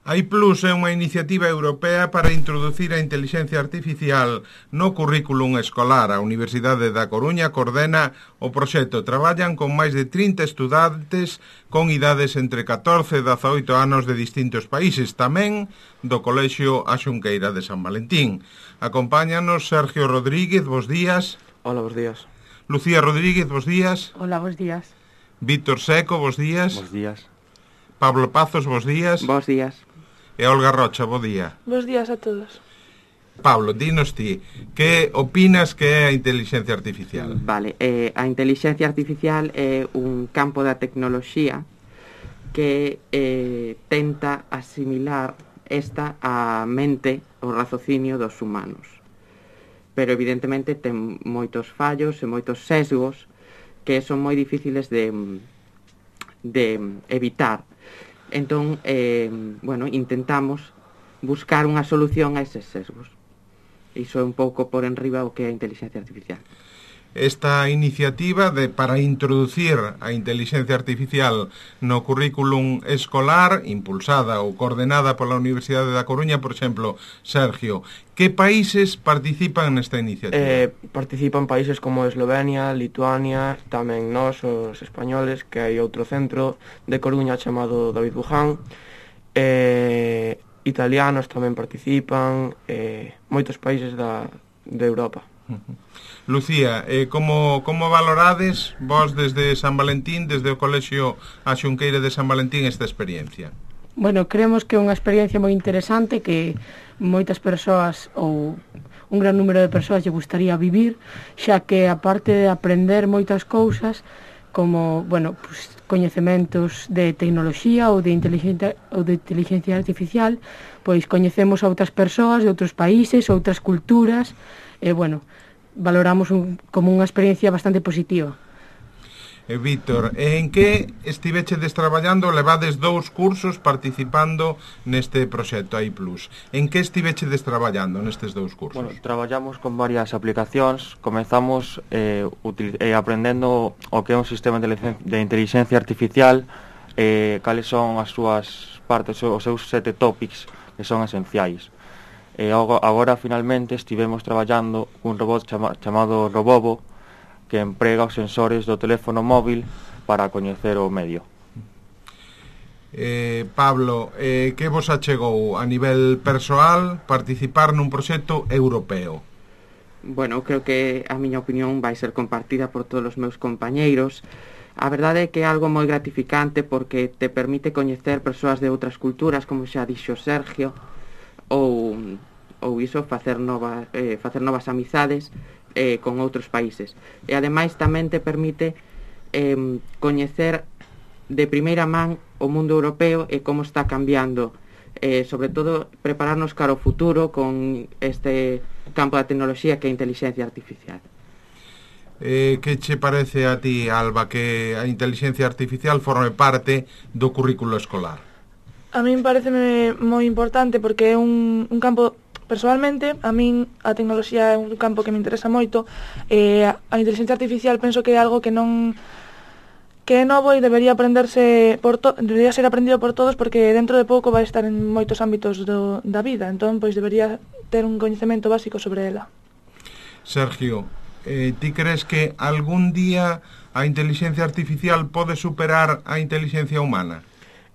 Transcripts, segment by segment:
iPlus é unha iniciativa europea para introducir a intelixencia artificial no currículum escolar. A Universidade da Coruña coordena o proxecto. Traballan con máis de 30 estudantes con idades entre 14 e 18 anos de distintos países, tamén do Colexio A Xunqueira de San Valentín. Acompáñanos Sergio Rodríguez, bos días. Hola, bos días. Lucía Rodríguez, bos días. Hola, bos días. Víctor Seco, bos días. Bos días. Pablo Pazos, bos días. Bos días. E Olga Rocha, bo día. Bos días a todos. Pablo, dinos ti, que opinas que é a inteligencia artificial? Vale, a inteligencia artificial é un campo da tecnoloxía que tenta asimilar esta a mente, o raciocinio dos humanos. Pero evidentemente ten moitos fallos e moitos sesgos que son moi difíciles de evitar. Entón, intentamos buscar unha solución a eses sesgos. Iso é un pouco por enriba o que é a inteligencia artificial. Esta iniciativa para introducir a inteligencia artificial no currículum escolar, impulsada ou coordenada pola Universidade da Coruña, por exemplo, Sergio, que países participan nesta iniciativa? Participan países como Eslovenia, Lituania, tamén nós, os españoles, que hai outro centro de Coruña chamado David Buján, italianos tamén participan, moitos países de Europa. Lucía, como valorades vos desde San Valentín, desde o Colexio A Xunqueira de San Valentín, esta experiencia? Bueno, creemos que é unha experiencia moi interesante que moitas persoas ou un gran número de persoas lle gustaría vivir, xa que aparte de aprender moitas cousas como, coñecementos de tecnoloxía ou de inteligencia artificial, pois coñecemos a outras persoas de outros países, outras culturas, e, valoramos como unha experiencia bastante positiva. Víctor, en que estivechedes traballando? Levades 2 cursos participando neste proxecto iPlus. En que estivechedes traballando nestes 2 cursos? Bueno, traballamos con varias aplicacións. Comezamos aprendendo o que é un sistema de inteligencia artificial, cales son as súas partes, os seus 7 topics que son esenciais. Agora, finalmente, estivemos traballando cun robot chamado Robobo, que emprega os sensores do teléfono móvil para coñecer o medio. Pablo, que vos achegou a nivel persoal participar nun proxecto europeo? Bueno, creo que a miña opinión vai ser compartida por todos os meus compañeiros. A verdade é que é algo moi gratificante porque te permite coñecer persoas de outras culturas, como xa dixo Sergio, ou facer novas amizades con outros países. E ademais tamén te permite coñecer de primeira man o mundo europeo e como está cambiando, sobre todo prepararnos cara ao futuro con este campo da tecnoloxía que é a inteligencia artificial. Que che parece a ti, Alba, que a inteligencia artificial forme parte do currículo escolar? A min pareceme moi importante porque é un campo. Personalmente, a min a tecnoloxía é un campo que me interesa moito, e a inteligencia artificial penso que é algo que é novo e debería debería ser aprendido por todos porque dentro de pouco vai estar en moitos ámbitos da vida, entón pois debería ter un coñecemento básico sobre ela. Sergio, ti crees que algún día a inteligencia artificial pode superar a inteligencia humana?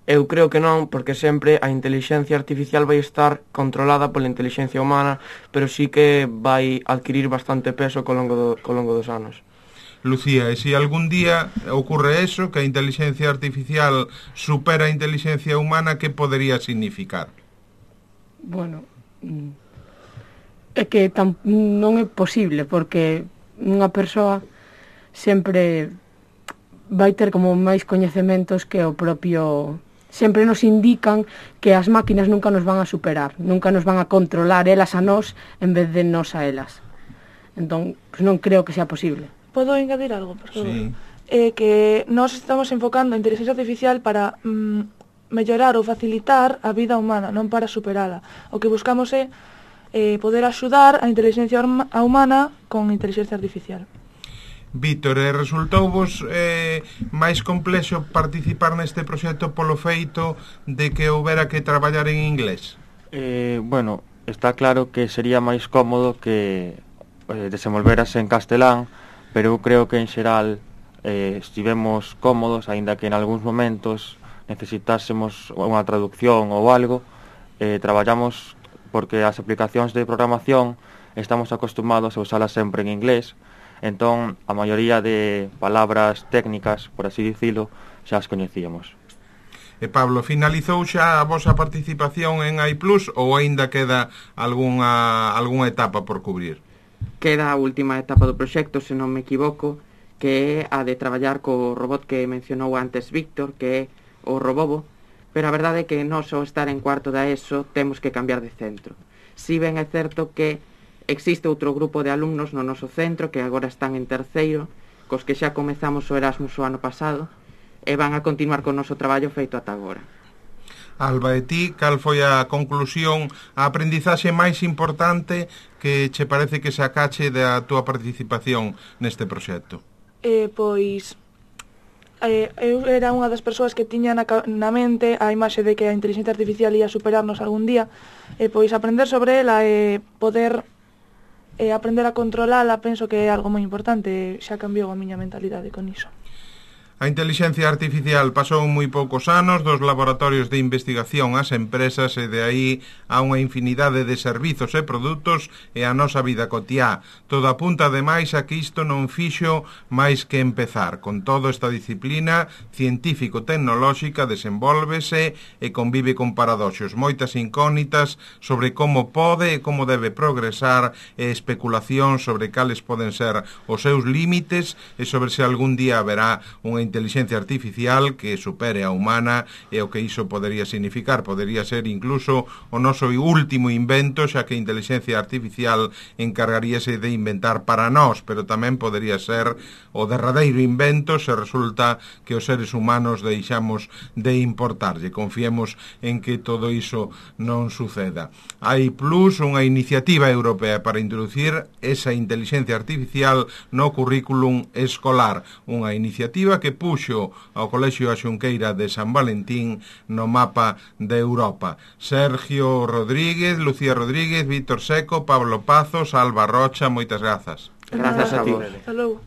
Eu creo que non, porque sempre a inteligencia artificial vai estar controlada pola inteligencia humana, pero sí que vai adquirir bastante peso co longo dos anos. Lucía, e se algún día ocurre eso, que a inteligencia artificial supera a inteligencia humana, que podería significar? Bueno, é que non é posible, porque unha persoa sempre vai ter como máis coñecementos que o propio. Sempre nos indican que as máquinas nunca nos van a superar, nunca nos van a controlar elas a nós en vez de nós a elas. Entón, non creo que sea posible. Podo engadir algo, por favor? Sí. Que nós estamos enfocando a inteligencia artificial para mellorar ou facilitar a vida humana, non para superala. O que buscamos é poder axudar a inteligencia humana con inteligencia artificial. Víctor, resultouvos máis complexo participar neste proxecto polo feito de que houbera que traballar en inglés? Bueno, está claro que sería máis cómodo que desenvolverase en castelán, pero eu creo que en xeral estivemos cómodos, aínda que en algúns momentos necesitásemos unha traducción ou algo, traballamos porque as aplicacións de programación estamos acostumados a usalas sempre en inglés. Entón, a maioría de palabras técnicas, por así dicilo, xa as coñecíamos. E Pablo, finalizou xa a vosa participación en AI Plus ou aínda queda algunha etapa por cubrir? Queda a última etapa do proxecto, se non me equivoco, que é a de traballar co robot que mencionou antes Víctor, que é o Robobo, pero a verdade é que non só estar en cuarto da ESO temos que cambiar de centro. Si ben é certo que existe outro grupo de alumnos no noso centro que agora están en terceiro, cos que xa comezamos o Erasmus o ano pasado e van a continuar con o noso traballo feito ata agora. Alba, e ti, cal foi a conclusión, a aprendizaxe máis importante que che parece que sacache da túa participación neste proxecto? Pois eu era unha das persoas que tiña na mente a imaxe de que a inteligencia artificial ia superarnos algún día, e pois aprender sobre ela e poder aprender a controlala penso que é algo moi importante, xa cambiou a miña mentalidade con iso. A inteligencia artificial pasou moi poucos anos dos laboratorios de investigación ás empresas e de aí a unha infinidade de servizos e produtos e a nosa vida cotiá. Todo apunta ademais a que isto non fixo máis que empezar. Con todo, esta disciplina científico-tecnolóxica desenvólvese e convive con paradoxos, moitas incógnitas sobre como pode e como debe progresar e especulación sobre cales poden ser os seus límites e sobre se algún día haberá unha inteligencia artificial que supere a humana e o que iso podería significar. Podería ser incluso o noso último invento, xa que a inteligencia artificial encargaríase de inventar para nós, pero tamén podería ser o derradeiro invento se resulta que os seres humanos deixamos de importarlle. Confiemos en que todo iso non suceda. AI Plus, unha iniciativa europea para introducir esa inteligencia artificial no currículum escolar, unha iniciativa que puxo ao Colexio A Xunqueira de San Valentín no mapa de Europa. Sergio Rodríguez, Lucía Rodríguez, Víctor Seco, Pablo Pazos, Alba Rocha, moitas grazas. Grazas a ti. Hasta logo.